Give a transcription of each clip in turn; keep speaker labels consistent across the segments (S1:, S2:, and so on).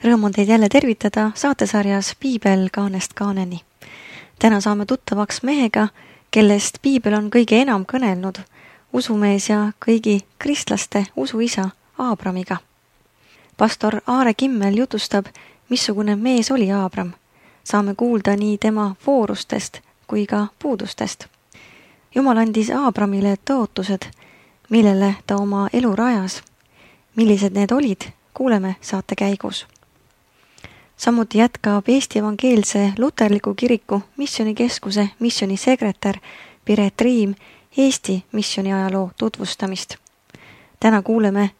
S1: Rõõm on teid jälle tervitada saatesarjas Piibel kaanest kaaneni. Täna saame tuttavaks mehega, kellest Piibel on kõige enam kõnelnud, usumees ja kõigi kristlaste usuisa Aabramiga. Pastor Aare Kimmel jutustab, missugune mees oli Aabram. Saame kuulda nii tema voorustest kui ka puudustest. Jumal andis Aabramile tõotused, millele ta oma elu rajas. Millised need olid, kuuleme saate käigus. Samuti jätkab Eesti Evangeelse Luterliku Kiriku missionikeskuse missionisekretär Piret Riim Eesti missioniajaloo tutvustamist. Täna kuuleme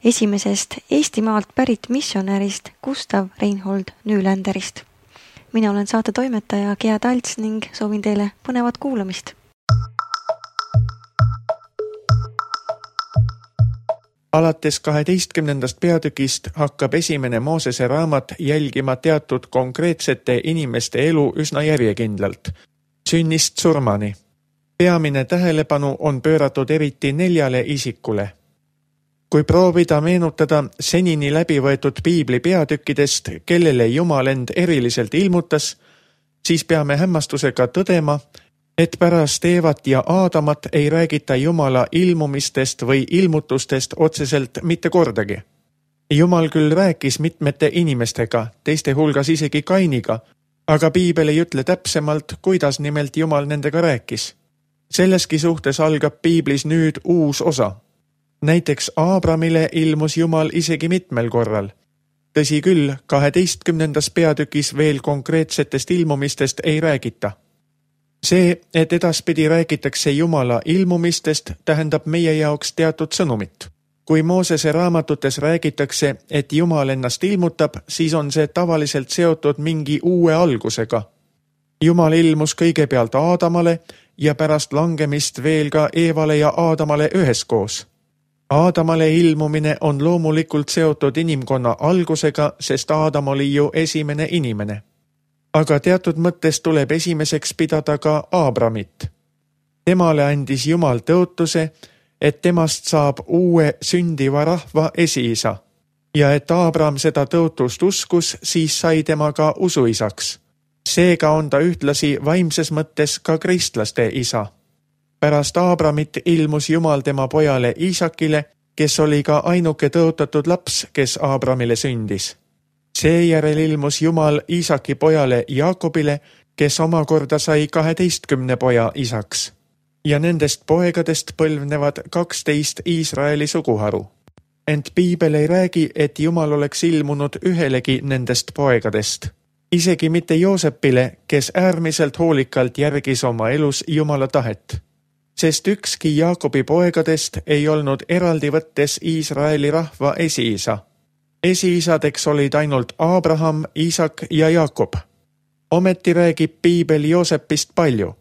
S1: esimesest Eestimaalt pärit missionärist Gustav Reinhold Nüländerist. Mina olen saate toimetaja Gea Talts ning soovin teile põnevat kuulamist.
S2: Alates 12. peatükist hakkab esimene Moosese raamat jälgima teatud konkreetsete inimeste elu üsna järjekindlalt, sünnist surmani. Peamine tähelepanu on pööratud eriti 4 isikule. Kui proovida meenutada senini läbi võetud Piibli peatükkidest, kellele Jumal end eriliselt ilmutas, siis peame hämmastusega tõdema, et pärast Eevat ja Aadamat ei räägita Jumala ilmumistest või ilmutustest otseselt mitte kordagi. Jumal küll rääkis mitmete inimestega, teiste hulgas isegi Kainiga, aga Piibel ei ütle täpsemalt, kuidas nimelt Jumal nendega rääkis. Selleski suhtes algab Piiblis nüüd uus osa. Näiteks Aabramile ilmus Jumal isegi mitmel korral. Tõsi küll, 12. peatükis veel konkreetsetest ilmumistest ei räägita. See, et edaspidi räägitakse Jumala ilmumistest, tähendab meie jaoks teatud sõnumit. Kui Moosese raamatutes räägitakse, et Jumal ennast ilmutab, siis on see tavaliselt seotud mingi uue algusega. Jumal ilmus kõigepealt Aadamale ja pärast langemist veel ka Eevale ja Aadamale üheskoos. Aadamale ilmumine on loomulikult seotud inimkonna algusega, sest Aadam oli ju esimene inimene. Aga teatud mõttes tuleb esimeseks pidada ka Aabramit. Temale andis Jumal tõotuse, et temast saab uue sündiva rahva esiisa. Ja et Aabram seda tõotust uskus, siis sai tema ka usuisaks. Seega on ta ühtlasi vaimses mõttes ka kristlaste isa. Pärast Aabramit ilmus Jumal tema pojale Iisakile, kes oli ka ainuke tõotatud laps, kes Aabramile sündis. Seejärel ilmus Jumal Iisaki pojale Jaakobile, kes omakorda sai 12 poja isaks. Ja nendest poegadest põlvnevad 12 Iisraeli suguharu. Ent Piibel ei räägi, et Jumal oleks ilmunud ühelegi nendest poegadest. Isegi mitte Joosepile, kes äärmiselt hoolikalt järgis oma elus Jumala tahet. Sest ükski Jaakobi poegadest ei olnud eraldi võttes Iisraeli rahva esiisa. Esiisadeks olid ainult Abraham, Iisak ja Jaakob. Ometi räägib Piibel Joosepist palju.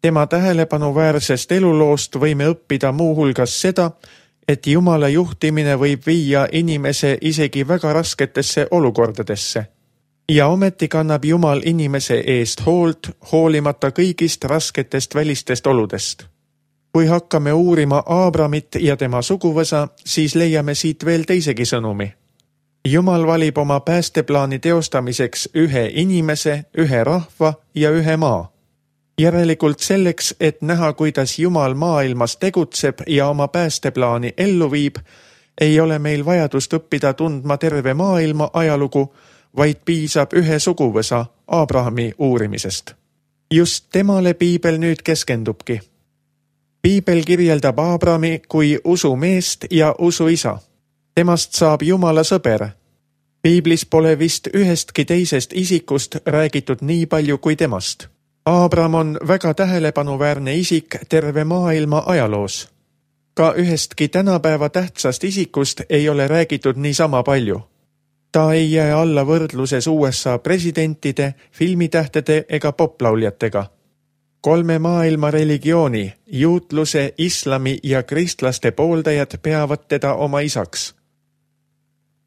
S2: Tema tähelepanuväärsest eluloost võime õppida muu hulgas seda, et Jumala juhtimine võib viia inimese isegi väga rasketesse olukordadesse. Ja ometi kannab Jumal inimese eest hoolt, hoolimata kõigist rasketest välistest oludest. Kui hakkame uurima Aabramit ja tema suguvõsa, siis leiame siit veel teisegi sõnumi. Jumal valib oma päästeplaani teostamiseks ühe inimese, ühe rahva ja ühe maa. Järelikult selleks, et näha, kuidas Jumal maailmas tegutseb ja oma päästeplaani ellu viib, ei ole meil vajadust õppida tundma terve maailma ajalugu, vaid piisab ühe suguvõsa Aabrahami uurimisest. Just temale Piibel nüüd keskendubki. Piibel kirjeldab Aabrami kui usumeest ja usuisa. Temast saab Jumala sõber. Piiblis pole vist ühestki teisest isikust räägitud nii palju kui temast. Aabram on väga tähelepanuväärne isik terve maailma ajaloos. Ka ühestki tänapäeva tähtsast isikust ei ole räägitud niisama palju. Ta ei jää alla võrdluses USA presidentide, filmitähtede ega poplauljatega. 3 maailma religiooni, juutluse, islami ja kristlaste pooldajad peavad teda oma isaks.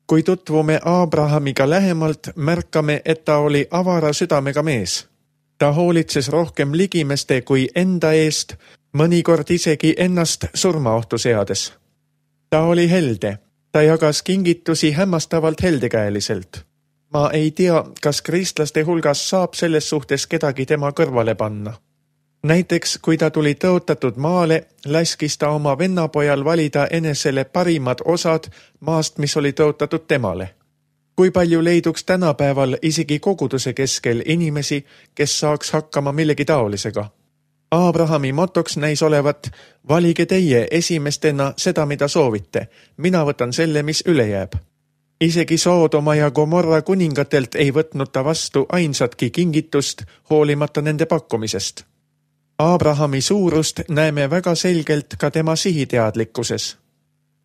S2: Kui tutvume Abrahamiga lähemalt, märkame, et ta oli avara südamega mees. Ta hoolitses rohkem ligimeste kui enda eest, mõnikord isegi ennast surmaohtu seades. Ta oli helde. Ta jagas kingitusi hämmastavalt heldekäeliselt. Ma ei tea, kas kristlaste hulgas saab selles suhtes kedagi tema kõrvale panna. Näiteks, kui ta tuli tõotatud maale, laskis ta oma vennapojal valida enesele parimad osad maast, mis oli tõotatud temale. Kui palju leiduks tänapäeval isegi koguduse keskel inimesi, kes saaks hakkama millegi taolisega? Abrahami motoks näis olevat, valige teie esimestena seda, mida soovite. Mina võtan selle, mis üle jääb. Isegi Soodoma ja Gomorra kuningatelt ei võtnud ta vastu ainsatki kingitust, hoolimata nende pakkumisest. Abrahami suurust näeme väga selgelt ka tema sihiteadlikkuses.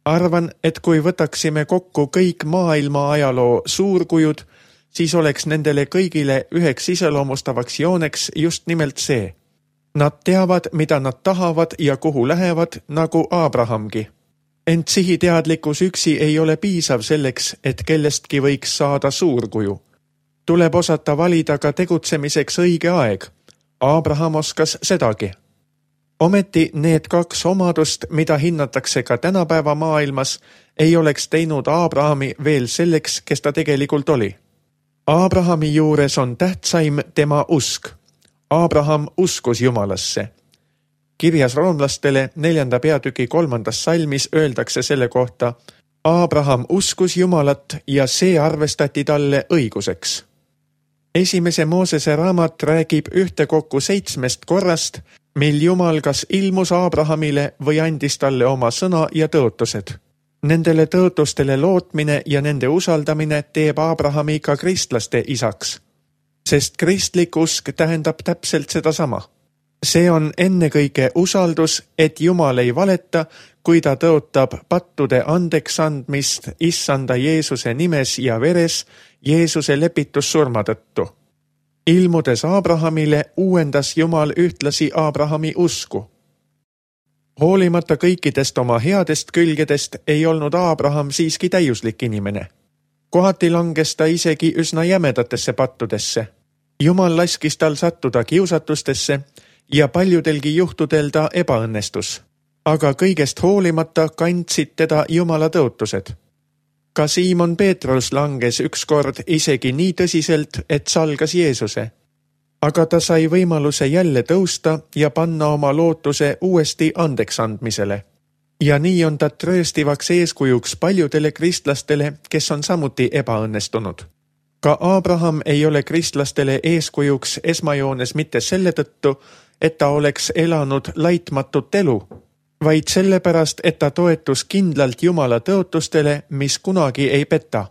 S2: Arvan, et kui võtaksime kokku kõik maailma ajaloo suurkujud, siis oleks nendele kõigile üheks iseloomustavaks jooneks just nimelt see. Nad teavad, mida nad tahavad ja kuhu lähevad, nagu Abrahamgi. Ent sihiteadlikkus üksi ei ole piisav selleks, et kellestki võiks saada suurkuju. Tuleb osata valida ka tegutsemiseks õige aeg. Abraham oskas sedagi. Ometi need kaks omadust, mida hinnatakse ka tänapäeva maailmas, ei oleks teinud Abrahami veel selleks, kes ta tegelikult oli. Abrahami juures on tähtsaim tema usk. Abraham uskus Jumalasse. Kirjas roomlastele 4. peatüki 3. salmis öeldakse selle kohta: Abraham uskus Jumalat ja see arvestati talle õiguseks. Esimese Moosese raamat räägib ühtekokku 7 korrast, mil Jumal kas ilmus Abrahamile või andis talle oma sõna ja tõotused. Nendele tõotustele lootmine ja nende usaldamine teeb Abrahami ka kristlaste isaks, sest kristlik usk tähendab täpselt sedasama. See on ennekõike usaldus, et Jumal ei valeta, kui ta tõotab pattude andeks andmist issanda Jeesuse nimes ja veres Jeesuse lepitussurma tõttu. Ilmudes Abrahamile uuendas Jumal ühtlasi Abrahami usku. Hoolimata kõikidest oma headest külgedest ei olnud Abraham siiski täiuslik inimene. Kohati langes ta isegi üsna jämedatesse pattudesse. Jumal laskis tal sattuda kiusatustesse ja paljudelgi juhtudel ta ebaõnnestus. Aga kõigest hoolimata kandsid teda Jumala tõotused. Ka Siimon Peetrus langes ükskord isegi nii tõsiselt, et salgas Jeesuse. Aga ta sai võimaluse jälle tõusta ja panna oma lootuse uuesti andeks andmisele. Ja nii on ta trööstivaks eeskujuks paljudele kristlastele, kes on samuti ebaõnnestunud. Ka Abraham ei ole kristlastele eeskujuks esmajoones mitte selle tõttu, et ta oleks elanud laitmatut elu, vaid sellepärast, et ta toetus kindlalt Jumala tõotustele, mis kunagi ei peta.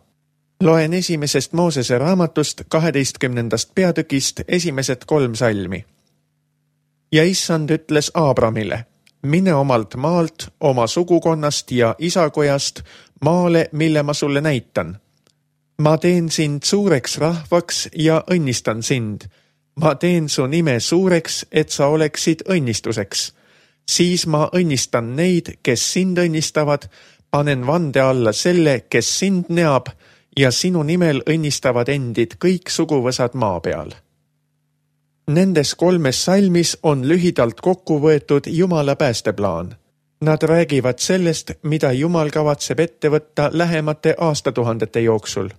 S2: Loen esimesest Moosese raamatust 12. peatükist esimesed 3 salmi. Ja issand ütles Abramile: mine omalt maalt, oma sugukonnast ja isakojast maale, mille ma sulle näitan. Ma teen sind suureks rahvaks ja õnnistan sind. Ma teen su nime suureks, et sa oleksid õnnistuseks. Siis ma õnnistan neid, kes sind õnnistavad, panen vande alla selle, kes sind neab, ja sinu nimel õnnistavad endid kõik suguvõsad maa peal. Nendes 3 salmis on lühidalt kokku võetud Jumala päästeplaan. Nad räägivad sellest, mida Jumal kavatseb ette võtta lähemate aastatuhandete jooksul.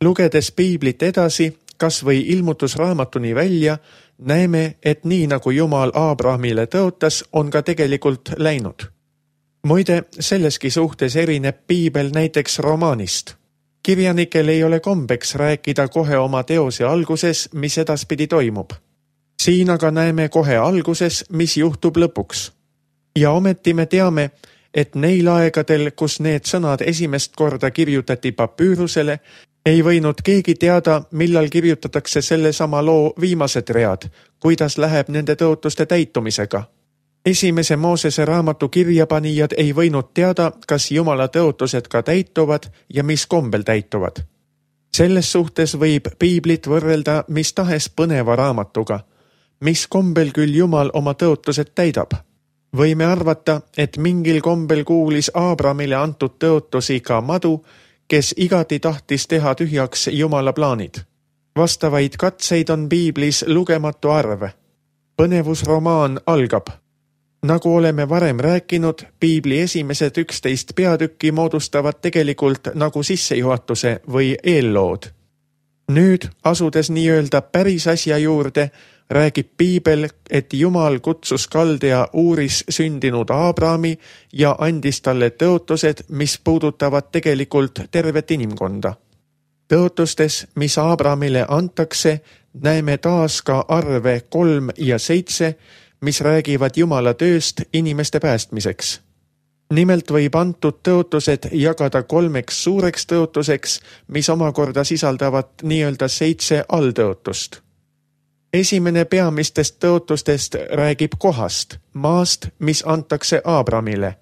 S2: Lugedes piiblit edasi, kas või ilmutusraamatuni välja, näeme, et nii nagu Jumal Abrahamile tõotas, on ka tegelikult läinud. Muide, selleski suhtes erineb piibel näiteks romaanist. Kirjanikel ei ole kombeks rääkida kohe oma teose alguses, mis edaspidi toimub. Siin aga näeme kohe alguses, mis juhtub lõpuks. Ja ometi me teame, et neil aegadel, kus need sõnad esimest korda kirjutati papüürusele, ei võinud keegi teada, millal kirjutatakse selle sama loo viimased read, kuidas läheb nende tõotuste täitumisega. Esimese Moosese raamatu kirjapanijad ei võinud teada, kas Jumala tõotused ka täituvad ja mis kombel täituvad. Selles suhtes võib piiblit võrrelda mis tahes põneva raamatuga, mis kombel küll Jumal oma tõotused täidab. Võime arvata, et mingil kombel kuulis Abramile antud tõotusi ka madu, kes igati tahtis teha tühjaks Jumala plaanid. Vastavaid katseid on piiblis lugematu arv. Põnevusromaan algab. Nagu oleme varem rääkinud, piibli esimesed 11 peatükki moodustavad tegelikult nagu sissejuhatuse või eellood. Nüüd, asudes nii-öelda päris asja juurde, räägib piibel, et Jumal kutsus Kaldea Uuris sündinud Aabrami ja andis talle tõotused, mis puudutavad tegelikult tervet inimkonda. Tõotustes, mis Aabramile antakse, näeme taas ka arve 3 ja 7, mis räägivad Jumala tööst inimeste päästmiseks. Nimelt võib antud tõotused jagada 3 suureks tõotuseks, mis omakorda sisaldavad nii-öelda 7 alltõotust. Esimene peamistest tõotustest räägib kohast, maast, mis antakse Aabramile.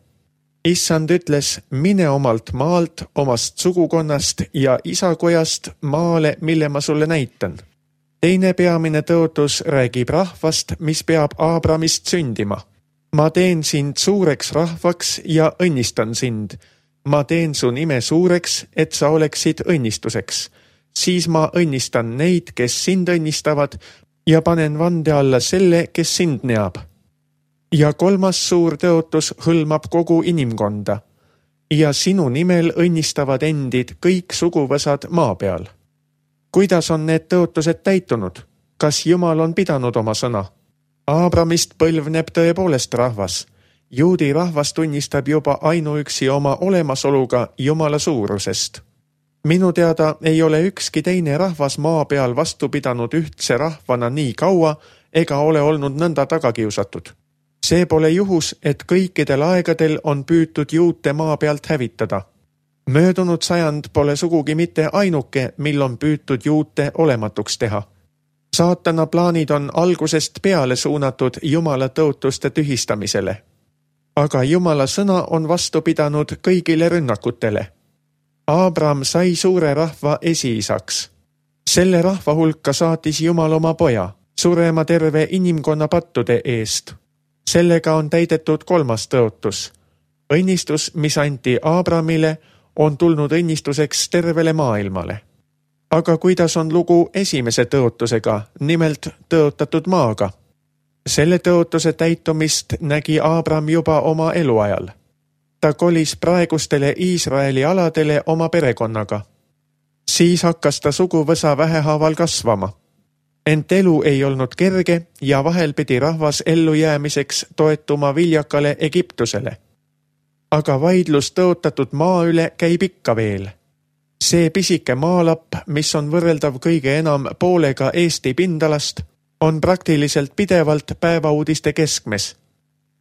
S2: Issand ütles, mine omalt maalt, omast sugukonnast ja isakojast maale, mille ma sulle näitan. Teine peamine tõotus räägib rahvast, mis peab Aabramist sündima. Ma teen sind suureks rahvaks ja õnnistan sind. Ma teen su nime suureks, et sa oleksid õnnistuseks. Siis ma õnnistan neid, kes sind õnnistavad, ja panen vande alla selle, kes sind neab. Ja 3. suur tõotus hõlmab kogu inimkonda. Ja sinu nimel õnnistavad endid kõik suguvõsad maa peal. Kuidas on need tõotused täitunud? Kas Jumal on pidanud oma sõna? Aabramist põlvneb tõepoolest rahvas. Juudi rahvas tunnistab juba ainuüksi oma olemasoluga Jumala suurusest. Minu teada ei ole ükski teine rahvas maa peal vastu pidanud ühtse rahvana nii kaua ega ole olnud nõnda tagakiusatud. See pole juhus, et kõikidel aegadel on püütud juute maa pealt hävitada. Möödunud sajand pole sugugi mitte ainuke, mil on püütud juute olematuks teha. Saatana plaanid on algusest peale suunatud Jumala tõotuste tühistamisele. Aga Jumala sõna on vastu pidanud kõigile rünnakutele. Aabram sai suure rahva esiisaks. Selle rahva hulka saatis Jumal oma poja, surema terve inimkonna pattude eest. Sellega on täidetud 3. tõotus. Õnnistus, mis anti Aabramile, on tulnud õnnistuseks tervele maailmale. Aga kuidas on lugu esimese tõotusega, nimelt tõotatud maaga? Selle tõotuse täitumist nägi Aabram juba oma eluajal. Ta kolis praegustele Iisraeli aladele oma perekonnaga. Siis hakkas ta suguvõsa vähehaaval kasvama. Ent elu ei olnud kerge ja vahel pidi rahvas ellujäämiseks toetuma viljakale Egiptusele. Aga vaidlus tõotatud maa üle käib ikka veel. See pisike maalapp, mis on võrreldav kõige enam poolega Eesti pindalast, on praktiliselt pidevalt päevauudiste keskmes.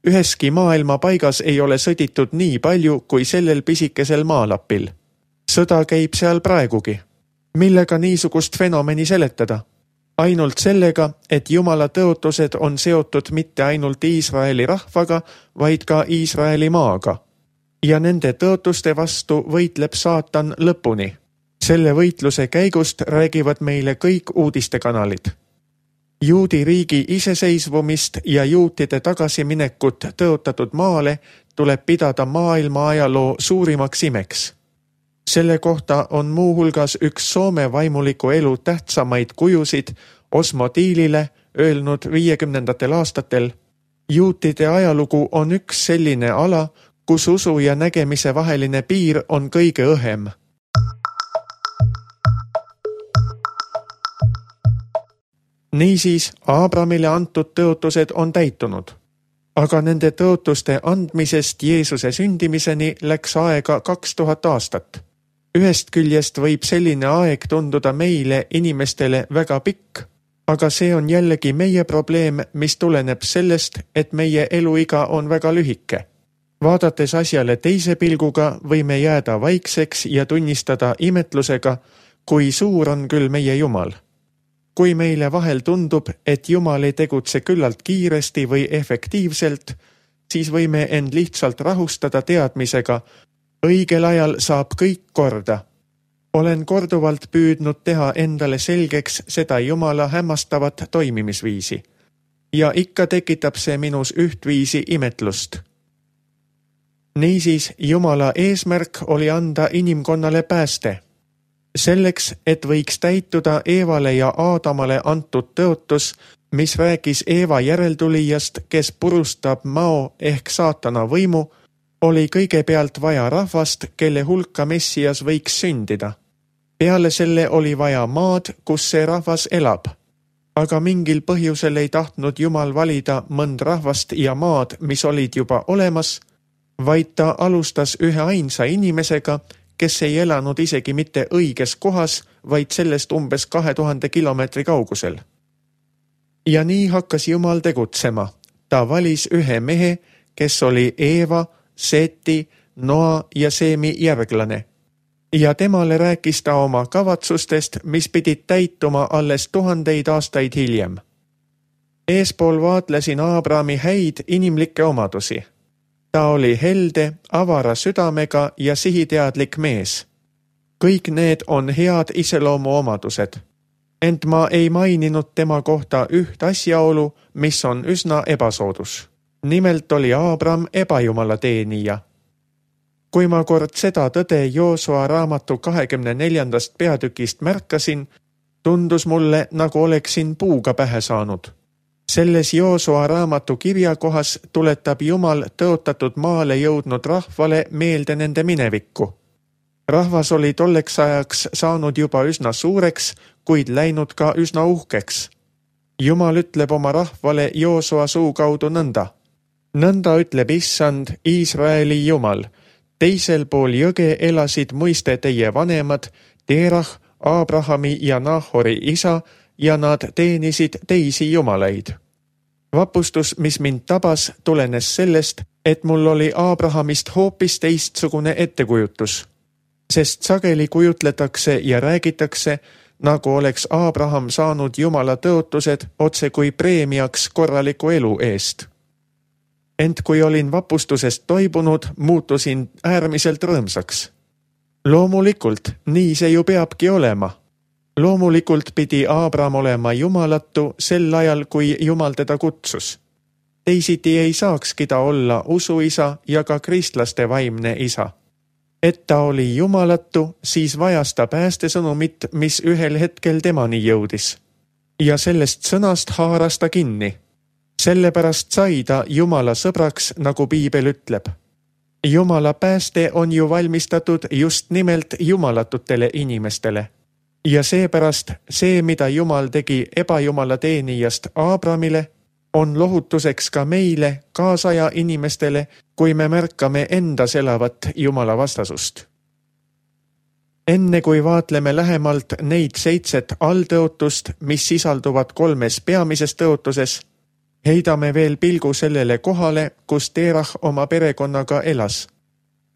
S2: Üheski maailma paigas ei ole sõditud nii palju kui sellel pisikesel maalapil. Sõda käib seal praegugi. Millega niisugust fenomeni seletada? Ainult sellega, et Jumala tõotused on seotud mitte ainult Iisraeli rahvaga, vaid ka Iisraeli maaga. Ja nende tõotuste vastu võitleb saatan lõpuni. Selle võitluse käigust räägivad meile kõik uudistekanalid. Juudi riigi iseseisvumist ja juutide tagasiminekut tõotatud maale tuleb pidada maailma ajaloo suurimaks imeks. Selle kohta on muuhulgas üks Soome vaimuliku elu tähtsamaid kujusid Osmo Tiilile öelnud 50. aastatel. Juutide ajalugu on üks selline ala, kus usu ja nägemise vaheline piir on kõige õhem. Niisiis, Aabramile antud tõotused on täitunud. Aga nende tõotuste andmisest Jeesuse sündimiseni läks aega 2000 aastat. Ühest küljest võib selline aeg tunduda meile inimestele väga pikk, aga see on jällegi meie probleem, mis tuleneb sellest, et meie eluiga on väga lühike. Vaadates asjale teise pilguga võime jääda vaikseks ja tunnistada imetlusega, kui suur on küll meie Jumal. Kui meile vahel tundub, et Jumal ei tegutse küllalt kiiresti või efektiivselt, siis võime end lihtsalt rahustada teadmisega, õigel ajal saab kõik korda. Olen korduvalt püüdnud teha endale selgeks seda Jumala hämmastavat toimimisviisi. Ja ikka tekitab see minus ühtviisi imetlust. Niisiis, Jumala eesmärk oli anda inimkonnale pääste. Selleks, et võiks täituda Eevale ja Aadamale antud tõotus, mis rääkis Eeva järeltulijast, kes purustab mao ehk saatana võimu, oli kõigepealt vaja rahvast, kelle hulka Messias võiks sündida. Peale selle oli vaja maad, kus see rahvas elab. Aga mingil põhjusel ei tahtnud Jumal valida mõnd rahvast ja maad, mis olid juba olemas, vaid ta alustas ühe ainsa inimesega, kes ei elanud isegi mitte õiges kohas, vaid sellest umbes 2000 kilomeetri kaugusel. Ja nii hakkas Jumal tegutsema. Ta valis ühe mehe, kes oli Eeva, Seeti, Noa ja Seemi järglane. Ja temale rääkis ta oma kavatsustest, mis pidid täituma alles 1000 aastaid hiljem. Eespool vaatlesin Aabrami häid inimlikke omadusi. Ta oli helde, avara südamega ja sihiteadlik mees. Kõik need on head iseloomuomadused. Ent ma ei maininud tema kohta üht asjaolu, mis on üsna ebasoodus. Nimelt oli Aabram ebajumala teenija. Kui ma kord seda tõde Joosua raamatu 24. peatükist märkasin, tundus mulle, nagu oleksin puuga pähe saanud. Selles Joosua raamatu kirjakohas tuletab Jumal tõotatud maale jõudnud rahvale meelde nende minevikku. Rahvas oli tolleks ajaks saanud juba üsna suureks, kuid läinud ka üsna uhkeks. Jumal ütleb oma rahvale Joosua suu kaudu nõnda. Nõnda ütleb Issand, Iisraeli Jumal. Teisel pool jõge elasid muiste teie vanemad, Terah, Aabrahami ja Nahori isa, ja nad teenisid teisi jumalaid. Vapustus, mis mind tabas, tulenes sellest, et mul oli Aabrahamist hoopis teistsugune ettekujutus. Sest sageli kujutletakse ja räägitakse, nagu oleks Aabraham saanud Jumala tõotused otse kui preemiaks korraliku elu eest. Ent kui olin vapustusest toibunud, muutusin äärmiselt rõõmsaks. Loomulikult, nii see ju peabki olema. Loomulikult pidi Aabram olema jumalatu sel ajal, kui Jumal teda kutsus. Teisiti ei saakski ta olla usuisa ja ka kristlaste vaimne isa. Et ta oli jumalatu, siis vajas ta päästesõnumit, mis ühel hetkel temani jõudis. Ja sellest sõnast haaras ta kinni. Sellepärast sai ta Jumala sõbraks, nagu Piibel ütleb. Jumala pääste on ju valmistatud just nimelt jumalatutele inimestele. Ja seepärast see, mida Jumal tegi ebajumala teenijast Aabramile, on lohutuseks ka meile, kaasaja inimestele, kui me märkame endas elavat Jumala vastasust. Enne kui vaatleme lähemalt neid 7 alltõotust, mis sisalduvad 3 peamises tõotuses, heidame veel pilgu sellele kohale, kus Terah oma perekonnaga elas.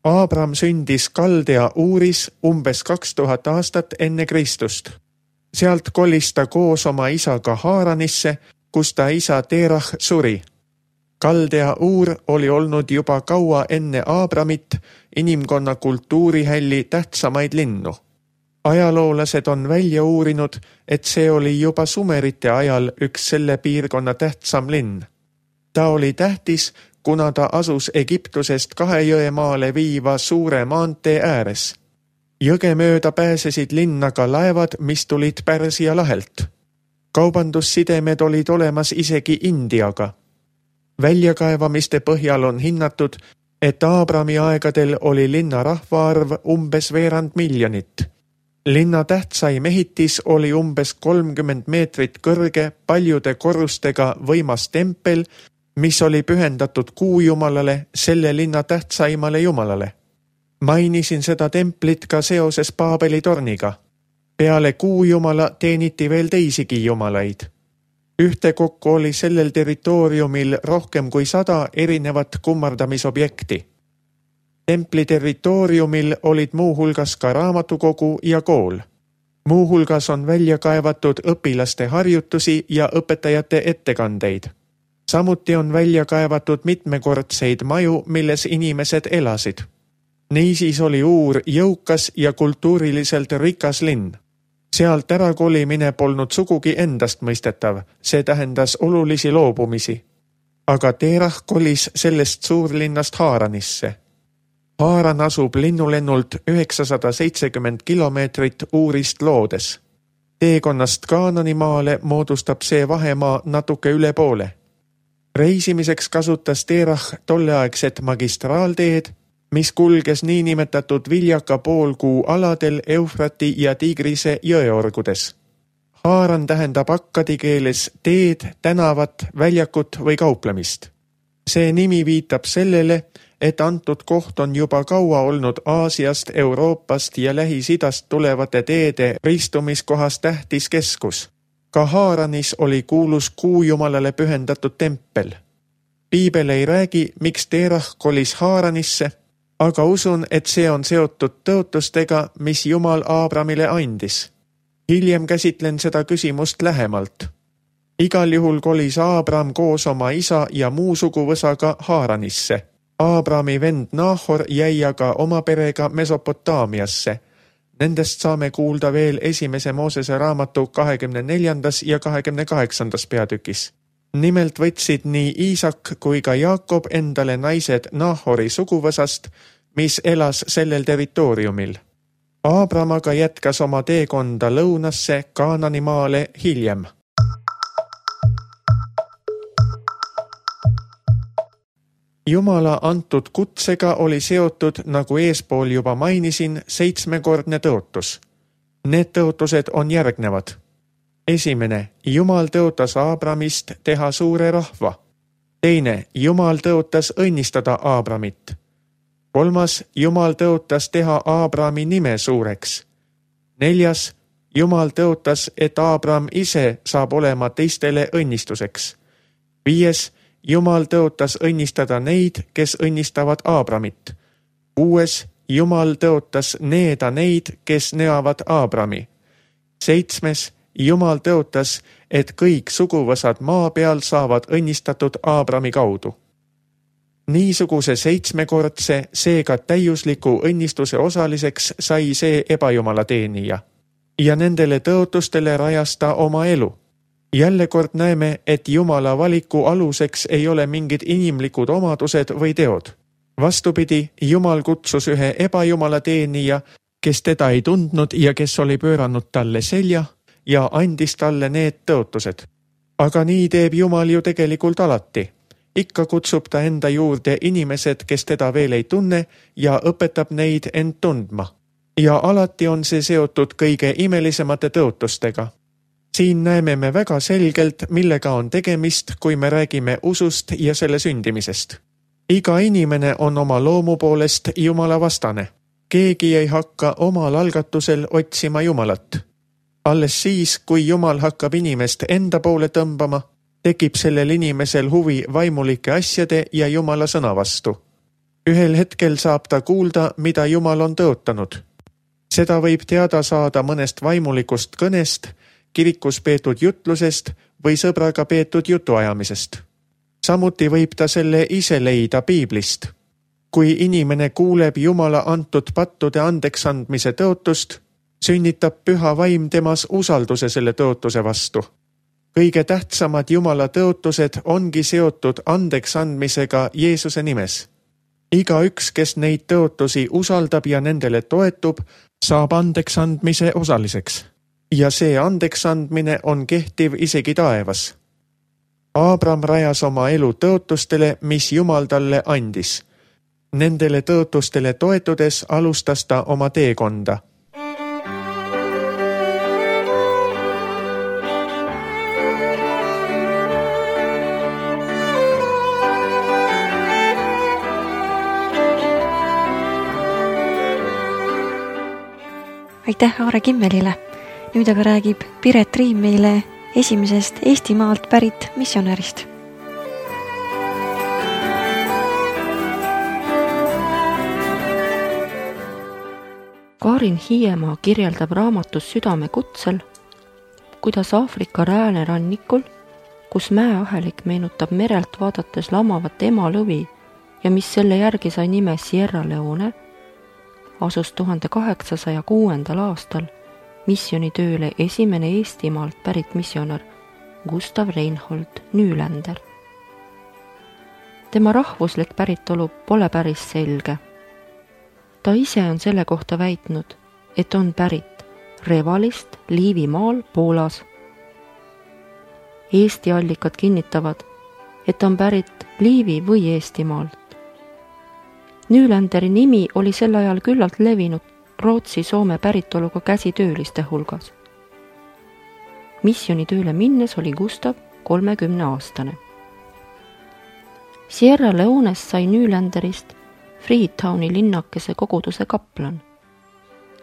S2: Aabram sündis Kaldea Uuris umbes 2000 aastat enne Kristust. Sealt kolis ta koos oma isaga Haaranisse, kus ta isa Terah suri. Kaldea Uur oli olnud juba kaua enne Aabramit inimkonna kultuurihälli tähtsamaid linnu. Ajaloolased on välja uurinud, et see oli juba sumerite ajal üks selle piirkonna tähtsam linn. Ta oli tähtis, kuna ta asus Egiptusest 2 jõe maale viiva suure maantee ääres. Jõge mööda pääsesid linna ka laevad, mis tulid Pärsia lahelt. Kaubandussidemed olid olemas isegi Indiaga. Väljakaevamiste põhjal on hinnatud, et Aabrami aegadel oli linna rahvaarv umbes 2 miljonit. Linna tähtsaim ehitis oli umbes 30 meetrit kõrge, paljude korrustega võimas tempel, mis oli pühendatud kuujumalale, selle linna tähtsaimale jumalale. Mainisin seda templit ka seoses Paabeli torniga. Peale kuujumala teeniti veel teisigi jumalaid. Ühtekokku oli sellel territooriumil rohkem kui 100 erinevat kummardamisobjekti. Templi territooriumil olid muuhulgas ka raamatukogu ja kool. Muuhulgas on välja kaevatud õpilaste harjutusi ja õpetajate ettekandeid. Samuti on välja kaevatud mitmekordseid maju, milles inimesed elasid. Niisiis oli Uur jõukas ja kultuuriliselt rikas linn. Sealt ärakolimine polnud sugugi endast mõistetav, see tähendas olulisi loobumisi. Aga Terah kolis sellest suurlinnast Haaranisse. Haaran asub linnulennult 970 kilomeetrit Uurist loodes. Teekonnast Kaananimaale moodustab see vahemaa natuke üle poole. Reisimiseks kasutas Terah tolleaegset magistraalteed, mis kulges niinimetatud viljaka poolkuu aladel Eufrati ja Tigrise jõeorgudes. Haaran tähendab akkadi keeles teed, tänavat, väljakut või kauplemist. See nimi viitab sellele, et antud koht on juba kaua olnud Aasiast, Euroopast ja Lähis-Idast tulevate teede ristumiskohas tähtis keskus. Ka Haaranis oli kuulus kuujumalale pühendatud tempel. Piibel ei räägi, miks Terah kolis Haaranisse, aga usun, et see on seotud tõotustega, mis Jumal Aabramile andis. Hiljem käsitlen seda küsimust lähemalt. Igal juhul kolis Aabram koos oma isa ja muu suguvõsaga Haaranisse. Aabrami vend Nahor jäi aga oma perega Mesopotaamiasse. Nendest saame kuulda veel 1. Moosese raamatu 24. ja 28. peatükis. Nimelt võtsid nii Iisak kui ka Jaakob endale naised Nahori suguvõsast, mis elas sellel territooriumil. Aabram aga jätkas oma teekonda lõunasse Kaanani maale hiljem. Jumala antud kutsega oli seotud, nagu eespool juba mainisin, 7-kordne tõotus. Need tõotused on järgnevad. 1. Jumal tõotas Aabramist teha suure rahva. 2. Jumal tõotas õnnistada Aabramit. 3. Jumal tõotas teha Aabrami nime suureks. 4. Jumal tõotas, et Aabram ise saab olema teistele õnnistuseks. 5. Jumal tõotas õnnistada neid, kes õnnistavad Aabramit. 6. Jumal tõotas needa neid, kes neavad Aabrami. 7. Jumal tõotas, et kõik suguvõsad maa peal saavad õnnistatud Aabrami kaudu. Niisuguse 7-kordse, seega täiusliku õnnistuse osaliseks sai see ebajumala teenija. Ja nendele tõotustele rajas ta oma elu. Jälle kord näeme, et Jumala valiku aluseks ei ole mingid inimlikud omadused või teod. Vastupidi, Jumal kutsus ühe ebajumala teenija, kes teda ei tundnud ja kes oli pööranud talle selja ja andis talle need tõotused. Aga nii teeb Jumal ju tegelikult alati. Ikka kutsub ta enda juurde inimesed, kes teda veel ei tunne ja õpetab neid end tundma. Ja alati on see seotud kõige imelisemate tõotustega. Siin näeme me väga selgelt, millega on tegemist, kui me räägime usust ja selle sündimisest. Iga inimene on oma loomu poolest Jumala vastane. Keegi ei hakka omal algatusel otsima Jumalat. Alles siis, kui Jumal hakkab inimest enda poole tõmbama, tekib sellel inimesel huvi vaimulike asjade ja Jumala sõna vastu. Ühel hetkel saab ta kuulda, mida Jumal on tõotanud. Seda võib teada saada mõnest vaimulikust kõnest, kirikus peetud jutlusest või sõbraga peetud jutuajamisest. Samuti võib ta selle ise leida Piiblist. Kui inimene kuuleb Jumala antud pattude andeksandmise tõotust, sünnitab püha vaim temas usalduse selle tõotuse vastu. Kõige tähtsamad Jumala tõotused ongi seotud andeksandmisega Jeesuse nimes. Igaüks, kes neid tõotusi usaldab ja nendele toetub, saab andeksandmise osaliseks. Ja see andeksandmine on kehtiv isegi taevas. Aabram rajas oma elu tõotustele, mis Jumal talle andis. Nendele tõotustele toetudes alustas ta oma teekonda.
S1: Aitäh Aare Kimmelile! Nüüd aga räägib Piret Riim meile esimesest Eestimaalt pärit missionärist.
S3: Karin Hiiemaa kirjeldab raamatus Südame kutsel, kuidas Aafrika räänerannikul, kus mäeahelik meenutab merelt vaadates lamavat emalõvi ja mis selle järgi sai nime Sierra Leone, asus 1806. aastal missionitööle esimene Eestimaalt pärit missionär Gustav Reinhold Nylander. Tema rahvuslik päritolu pole päris selge. Ta ise on selle kohta väitnud, et on pärit Revalist Liivimaal Poolas. Eesti allikad kinnitavad, et on pärit Liivi või Eestimaalt. Nylanderi nimi oli sel ajal küllalt levinud Rootsi-Soome päritoluga käsitööliste hulgas. Missionitööle minnes oli Gustav 30-aastane. Sierra Leones sai Nylanderist Freetowni linnakese koguduse kaplan.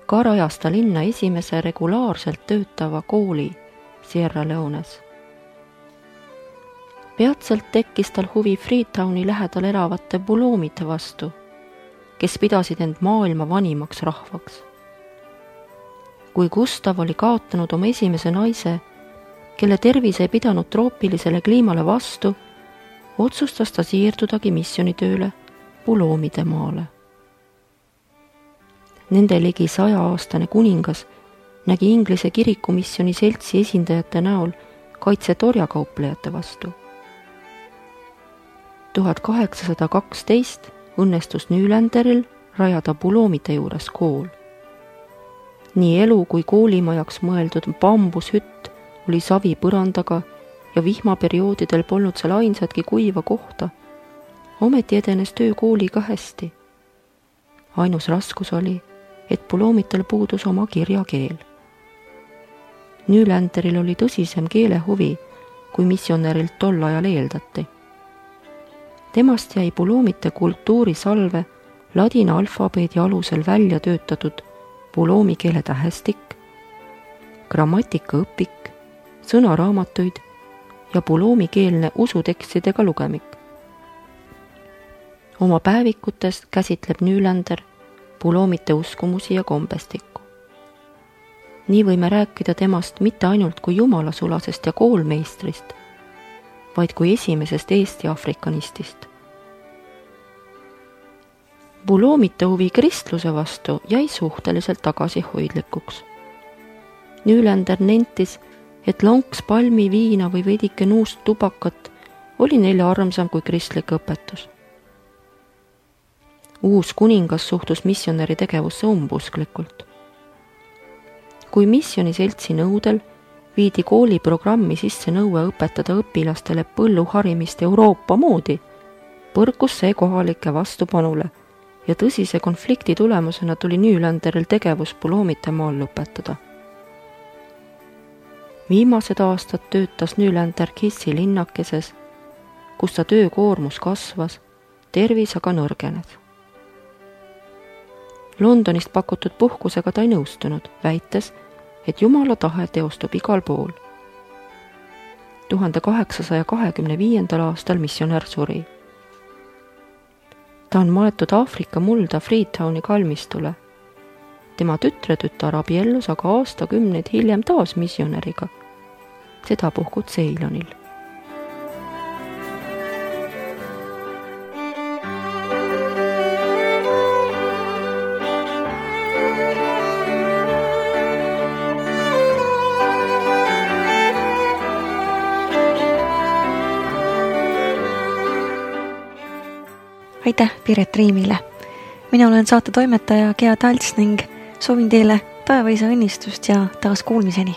S3: Ka rajas ta linna esimese regulaarselt töötava kooli Sierra Leones. Peatselt tekkis tal huvi Freetowni lähedal elavate buloomide vastu, kes pidasid end maailma vanimaks rahvaks. Kui Gustav oli kaotanud oma esimese naise, kelle tervis ei pidanud troopilisele kliimale vastu, otsustas ta siirdudagi missionitööle buloomide maale. Nende ligi 100-aastane kuningas nägi Inglise kirikumissioni seltsi esindajate näol kaitset orjakauplejate vastu. 1812 õnnestus Nylanderil rajada buloomide juures kool. Nii elu kui koolimajaks mõeldud bambushütt oli savi põrandaga ja vihmaperioodidel polnud seal ainsatki kuiva kohta. Ometi edenes töö kooliga hästi. Ainus raskus oli, et buloomitel puudus oma kirjakeel. Nylanderil oli tõsisem keelehuvi, kui missionärilt tol ajal eeldati. Temast jäi buloomite kultuurisalve ladina alfabeedi alusel välja töötatud buloomi keele tähestik, grammatikaõpik, sõnaraamatuid ja buloomikeelne usutekstidega lugemik. Oma päevikutes käsitleb Nylander buloomite uskumusi ja kombestikku. Nii võime rääkida temast mitte ainult kui jumalasulasest ja koolmeistrist, vaid kui esimesest Eesti afrikanistist. Buloomite huvi kristluse vastu jäi suhteliselt tagasihoidlikuks. Nylander nentis, et lonks palmi, viina või veidike nuust tubakat oli neile armsam kui kristlik õpetus. Uus kuningas suhtus missionäri tegevusse umbusklikult. Kui missioniseltsi nõudel viidi kooliprogrammi sisse nõue õpetada õpilastele põlluharimist Euroopa moodi, põrkus see kohalike vastupanule ja tõsise konflikti tulemusena tuli Nylanderil tegevus buloomite maal lõpetada. Viimased aastad töötas Nylander Kissi linnakeses, kus ta töökoormus kasvas, tervis aga nõrgenes. Londonist pakutud puhkusega ta ei nõustunud, väites, et Jumala tahe teostub igal pool. 1825. aastal missionär suri. Ta on maetud Aafrika mulda Freetowni kalmistule. Tema tütretütar abiellus aga aastakümneid hiljem taas missionäriga, sedapuhku Ceylonil.
S1: Aitäh Piret Riimile. Mina olen saate toimetaja Gea Talts ning soovin teile taevaisa õnnistust ja taas kuulmiseni.